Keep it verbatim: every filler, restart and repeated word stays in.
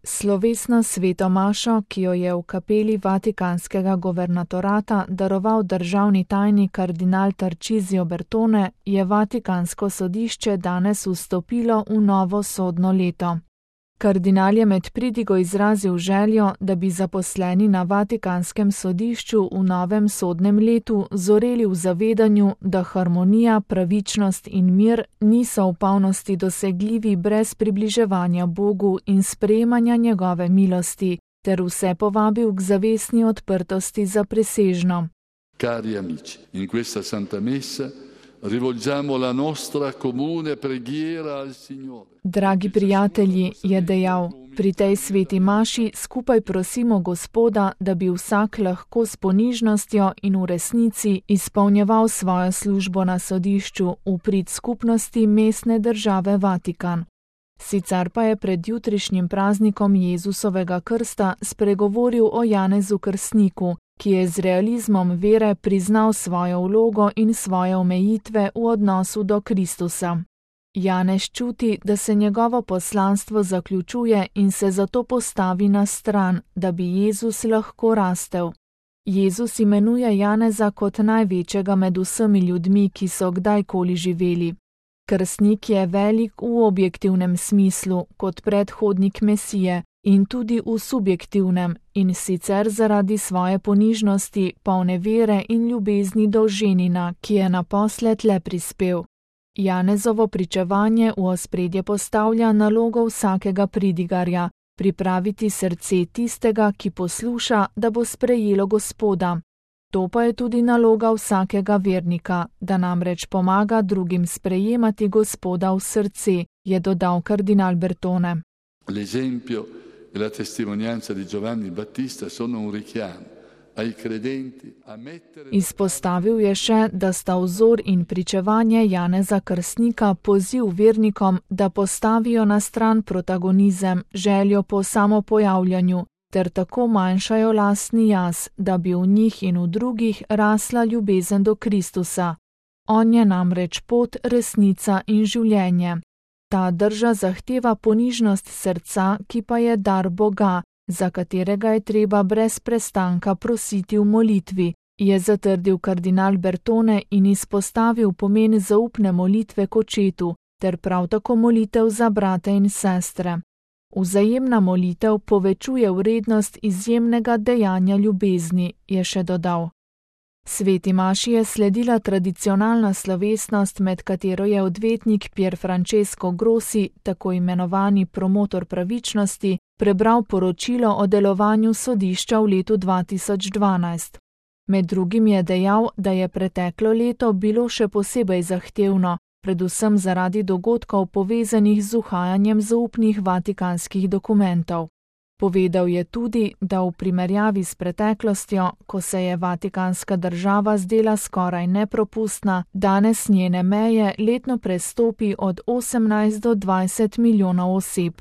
Slovesno sveto mašo, ki jo je v kapeli vatikanskega guvernatorata daroval državni tajnik kardinal Tarcisio Bertone, je Vatikansko sodišče danes vstopilo v novo sodno leto. Kardinal je med pridigo izrazil željo, da bi zaposleni na Vatikanskem sodišču v novem sodnem letu zoreli v zavedanju, da harmonija, pravičnost in mir niso v polnosti dosegljivi brez približevanja Bogu in sprejemanja njegove milosti, ter vse povabil k zavestni odprtosti za presežno. Cari amici, in questa Santa Messa rivolgiamo la nostra comune preghiera al Signore. Dragi prijatelji, je dejal, pri tej sveti maši skupaj prosimo Gospoda, da bi vsak lahko s ponižnostjo in v resnici izpolnjeval svojo službo na sodišču v prid skupnosti mestne države Vatikan. Sicer pa je pred jutrišnjim praznikom Jezusovega krsta spregovoril o Janezu Krstniku, ki je z realizmom vere priznal svojo vlogo in svoje omejitve v odnosu do Kristusa. Janez čuti, da se njegovo poslanstvo zaključuje in se zato postavi na stran, da bi Jezus lahko rastel. Jezus imenuje Janeza kot največjega med vsemi ljudmi, ki so kdajkoli živeli. Krstnik je velik v objektivnem smislu, kot predhodnik Mesije, in tudi v subjektivnem, in sicer zaradi svoje ponižnosti, polne vere in ljubezni do ženina, ki je naposled le prispel. Janezovo pričevanje v ospredje postavlja nalogo vsakega pridigarja, pripraviti srce tistega, ki posluša, da bo sprejelo Gospoda. To pa je tudi naloga vsakega vernika, da namreč pomaga drugim sprejemati Gospoda v srce, je dodal kardinal Bertone. L'esempio e la testimonianza di Giovanni Battista sono un richiamo ai credenti a mettere. Izpostavil je še, da sta vzor in pričevanje Janeza Krstnika poziv vernikom, da postavijo na stran protagonizem, željo po samopojavljanju, ter tako manjšajo lastni jaz, da bi v njih in v drugih rasla ljubezen do Kristusa. On je namreč pot, resnica in življenje. Ta drža zahteva ponižnost srca, ki pa je dar Boga, za katerega je treba brez prestanka prositi v molitvi, je zatrdil kardinal Bertone in izpostavil pomen zaupne molitve k Očetu, ter prav tako molitev za brate in sestre. Vzajemna molitev povečuje vrednost izjemnega dejanja ljubezni, je še dodal. Sveti maši je sledila tradicionalna slovesnost, med katero je odvetnik Pier Francesco Grossi, tako imenovani promotor pravičnosti, prebral poročilo o delovanju sodišča v letu dva tisoč dvanajst. Med drugim je dejal, da je preteklo leto bilo še posebej zahtevno, predvsem zaradi dogodkov povezanih z uhajanjem zaupnih vatikanskih dokumentov. Povedal je tudi, da v primerjavi s preteklostjo, ko se je Vatikanska država zdela skoraj nepropustna, danes njene meje letno prestopi od osemnajst do dvajset milijonov oseb.